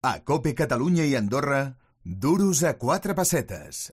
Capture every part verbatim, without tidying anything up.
A Cope Catalunya i Andorra, duros a quatre pessetes.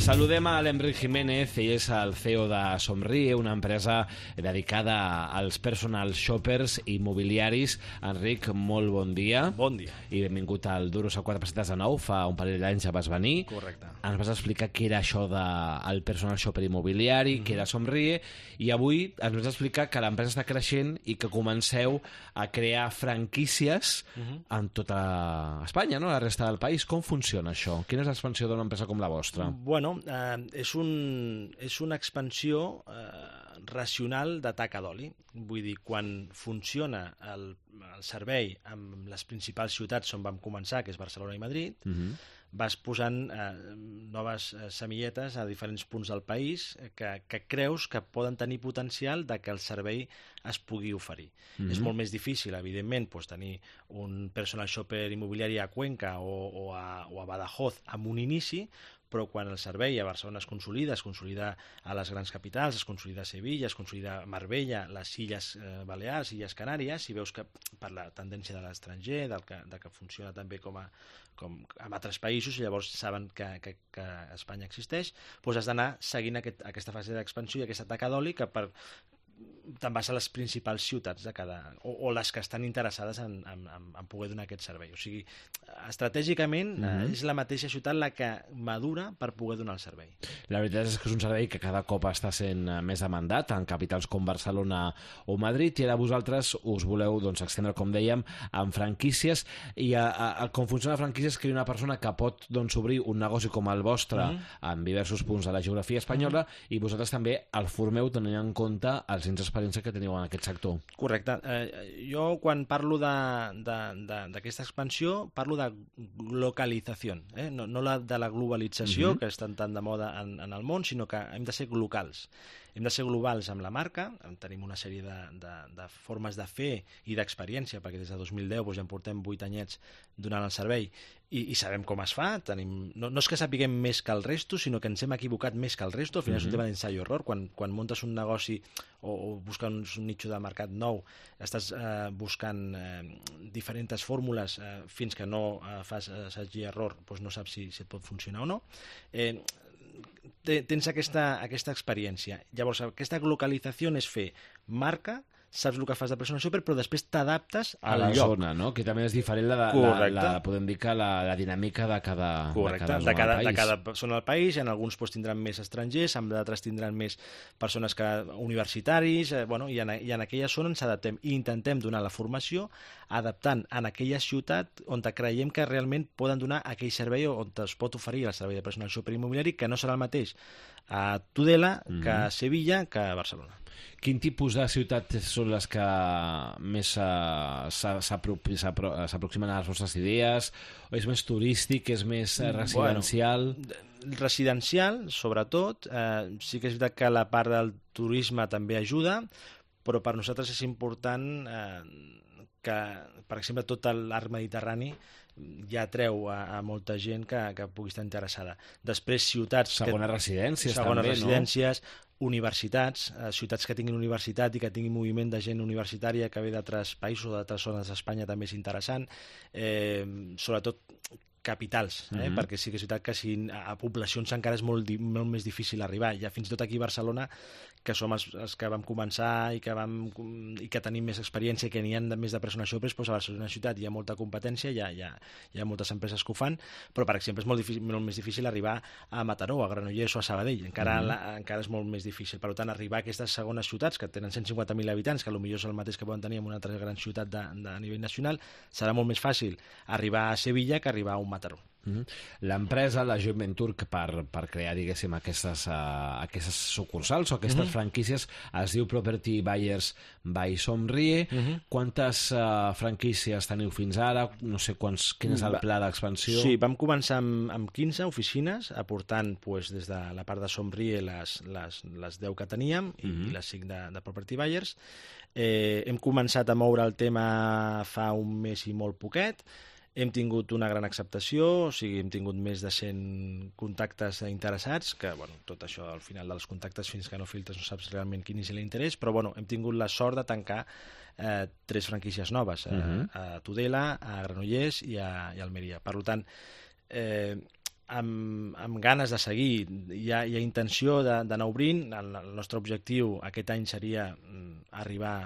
Saludem a l'Enric Jiménez, ell és el C E O de Somrie, una empresa dedicada als personal shoppers immobiliaris. Enric, molt bon dia. Bon dia. I benvingut al Duros a quatre pessetes de nou. Fa un parell d'anys ja vas venir. Correcte. Ens vas explicar què era això del personal shopper immobiliari, mm-hmm. què era Somrie, i avui ens vas explicar que l'empresa està creixent i que comenceu a crear franquícies mm-hmm. en tota Espanya, no? La resta del país. Com funciona això? Quina és l'expansió d'una empresa com la vostra? Bueno, eh, és, un, és una expansió eh, racional de taca d'oli. Vull dir, quan funciona el, el servei amb les principals ciutats on vam començar, que és Barcelona i Madrid, mm-hmm. vas posant eh, noves eh, semilletes a diferents punts del país que, que creus que poden tenir potencial de que el servei es pugui oferir. Mm-hmm. És molt més difícil, evidentment, doncs, tenir un personal shopper immobiliari a Cuenca o, o, a, o a Badajoz amb un inici, però quan el servei a Barcelona es consolida, es consolida a les grans capitals, es consolida a Sevilla, es consolida a Marbella, les Illes eh, Balears, Illes Canàries, i veus que per la tendència de l'estranger, del que, de que funciona també com a com en altres països, i llavors saben que, que, que Espanya existeix, doncs has d'anar seguint aquest, aquesta fase d'expansió i aquesta taca d'oli que per te'n vas a les principals ciutats de cada, o, o les que estan interessades en, en, en poder donar aquest servei. O sigui, estratègicament mm-hmm. eh, és la mateixa ciutat la que madura per poder donar el servei. La veritat és que és un servei que cada cop està sent més demandat en capitals com Barcelona o Madrid, i ara vosaltres us voleu doncs, extendre, com dèiem, en franquícies, i a, a, a, com funciona la franquícia és que hi ha una persona que pot doncs, obrir un negoci com el vostre mm-hmm. en diversos punts de la geografia espanyola, mm-hmm. i vosaltres també el formeu tenint en compte els anys d'experiència que teniu en aquest sector. Correcte. Eh, jo quan parlo d'aquesta expansió parlo de localització, eh? no, no la, de la globalització mm-hmm. que estan tan de moda en, en el món, sinó que hem de ser locals. Hem de ser globals amb la marca, tenim una sèrie de, de, de formes de fer i d'experiència, perquè des de dos mil deu doncs, ja en portem vuit anyets donant el servei, i, i sabem com es fa. Tenim, no, no és que sapiguem més que el resto, sinó que ens hem equivocat més que el resto. Al final mm-hmm. és un tema d'ensaio error. Quan, quan muntes un negoci o, o busques un nicho de mercat nou, estàs eh, buscant eh, diferents fórmules eh, fins que no eh, fas assaig i error, doncs no saps si, si et pot funcionar o no. Eh, tens aquesta, aquesta experiència. Llavors, aquesta localització és fer marca, saps el que fas de personal shopper, però després t'adaptes al a la lloc. zona, no? Que també és diferent la, la, la, podem dir que la, la dinàmica de cada, Correcte. de cada zona de cada, del país. De cada zona del país, en alguns pues, tindran més estrangers, en d'altres tindran més persones que universitaris, eh, bueno, i, en, i en aquella zona ens adaptem i intentem donar la formació adaptant en aquella ciutat on creiem que realment poden donar aquell servei on es pot oferir el servei de personal shopper immobiliari, que no serà el mateix a Tudela mm-hmm. que a Sevilla que a Barcelona. Quin tipus de ciutats són les que més s'aproximen a les vostres idees? O és més turístic, és més residencial? Bueno, residencial, sobretot. Eh, sí que és veritat que la part del turisme també ajuda, però per nosaltres és important eh, que, per exemple, tot l'arc mediterrani ja atreu a, a molta gent que, que pugui estar interessada. Després, ciutats... Segones que, residències, segones també, residències, no? Universitats, eh, ciutats que tinguin universitat i que tinguin moviment de gent universitària que ve d'altres països o d'altres zones d'Espanya també és interessant. Eh, sobretot capitals, eh? mm-hmm. perquè sí que és veritat que si a poblacions encara és molt, molt més difícil arribar. Ja fins i tot aquí a Barcelona, que som els, els que vam començar i que, vam, i que tenim més experiència i que n'hi ha més de personal shoppers, doncs a Barcelona ciutat hi ha molta competència, hi ha, hi ha, hi ha moltes empreses que ho fan, però per exemple és molt, difícil, molt més difícil arribar a Mataró, a Granollers o a Sabadell, encara, mm-hmm. la, encara és molt més difícil. Per tant, arribar a aquestes segones ciutats que tenen cent cinquanta mil habitants, que potser és el mateix que poden tenir en una altra gran ciutat de, de, a nivell nacional, serà molt més fàcil arribar a Sevilla que arribar a un Mataró. Mm-hmm. L'empresa, la joint venture, per, per crear, diguéssim, aquestes, uh, aquestes sucursals o aquestes mm-hmm. franquícies, es diu Property Buyers by Somrie. Mm-hmm. Quantes uh, franquícies teniu fins ara? No sé quants, quin és el pla d'expansió? Sí, vam començar amb, amb quinze oficines, aportant pues, des de la part de Somrie les, les, les deu que teníem i, mm-hmm. i les cinc de, de Property Buyers. Eh, hem començat a moure el tema fa un mes i molt poquet. Hem tingut una gran acceptació, o sigui, hem tingut més de cent contactes interessats, que, bueno, tot això al final dels contactes fins que no filtres no saps realment quin és l'interès, però, bueno, hem tingut la sort de tancar eh, tres franquícies noves, eh, uh-huh. a Tudela, a Granollers i a, i a Almeria. Per tant, eh, amb, amb ganes de seguir, hi ha, hi ha intenció d'anar obrint. El, el nostre objectiu aquest any seria arribar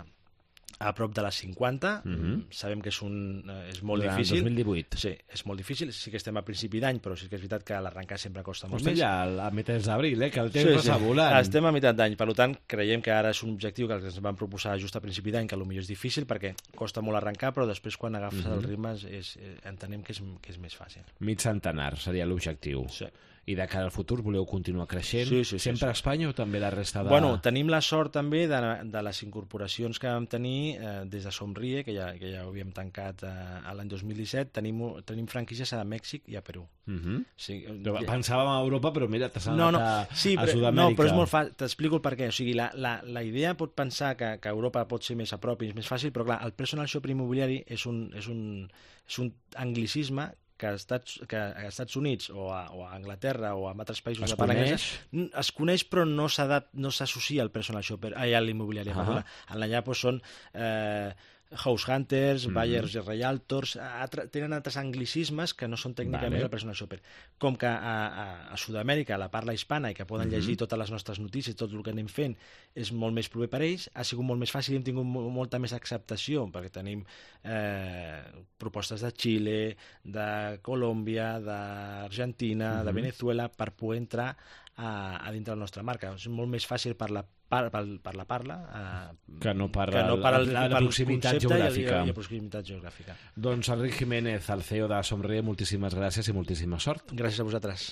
a prop de les cinquanta. Mm-hmm. Sabem que és, un, és molt Durant difícil. dos mil divuit. Sí, és molt difícil. Sí que estem a principi d'any, però sí que és veritat que l'arrencar sempre costa molt Estem més. ja a mitjans d'abril, eh? Que el temps sí, passa sí. volant. Estem a meitat d'any, per tant, creiem que ara és un objectiu que ens van proposar just a principi d'any, que potser és difícil perquè costa molt arrencar, però després quan agafes mm-hmm. el ritme és, és, entenem que és, que és més fàcil. Mig centenar seria l'objectiu. Sí. I de cara al futur voleu continuar creixent? Sí, sí, sí, Sempre sí. a Espanya o també la resta de... Bueno, tenim la sort també de, de les incorporacions que vam tenir eh, des de Somrie, que ja, que ja ho havíem tancat eh, l'any dos mil disset, tenim, tenim franquícies a Mèxic i a Perú. Uh-huh. Sí, pensàvem a Europa, però mira, t'has anat no, no. a, sí, a però, Sud-amèrica. No, però és molt fàcil, t'explico el perquè. O sigui, la, la, la idea pot pensar que, que Europa pot ser més a prop i és més fàcil, però clar, el personal shopper immobiliari és un, és un, és un anglicisme que a Estats, que a Estats Units o a, o a Anglaterra o a altres països es de parla coneix? anglesa, es coneix però no s'associa no al personal shopper, ai, a l'immobiliari. Uh -huh. Allà doncs, són eh, house hunters, mm-hmm. buyers i realtors, altre, tenen altres anglicismes que no són tècnicament vale. El personal shopper. Com que a, a, a Sud-amèrica la parla hispana i que poden mm-hmm. llegir totes les nostres notícies, tot el que anem fent, és molt més proper per ells, ha sigut molt més fàcil i hem tingut molta més acceptació, perquè tenim eh, propostes de Xile, de Colòmbia, d'Argentina, mm-hmm. de Venezuela, per poder entrar a, a dintre de la nostra marca. És molt més fàcil per la Per, per, per la parla eh, que no per, que no per el, la, la proximitat geogràfica. I, i la proximitat geogràfica. Doncs Enric Jiménez, el C E O de Somrie, moltíssimes gràcies i moltíssima sort. Gràcies a vosaltres.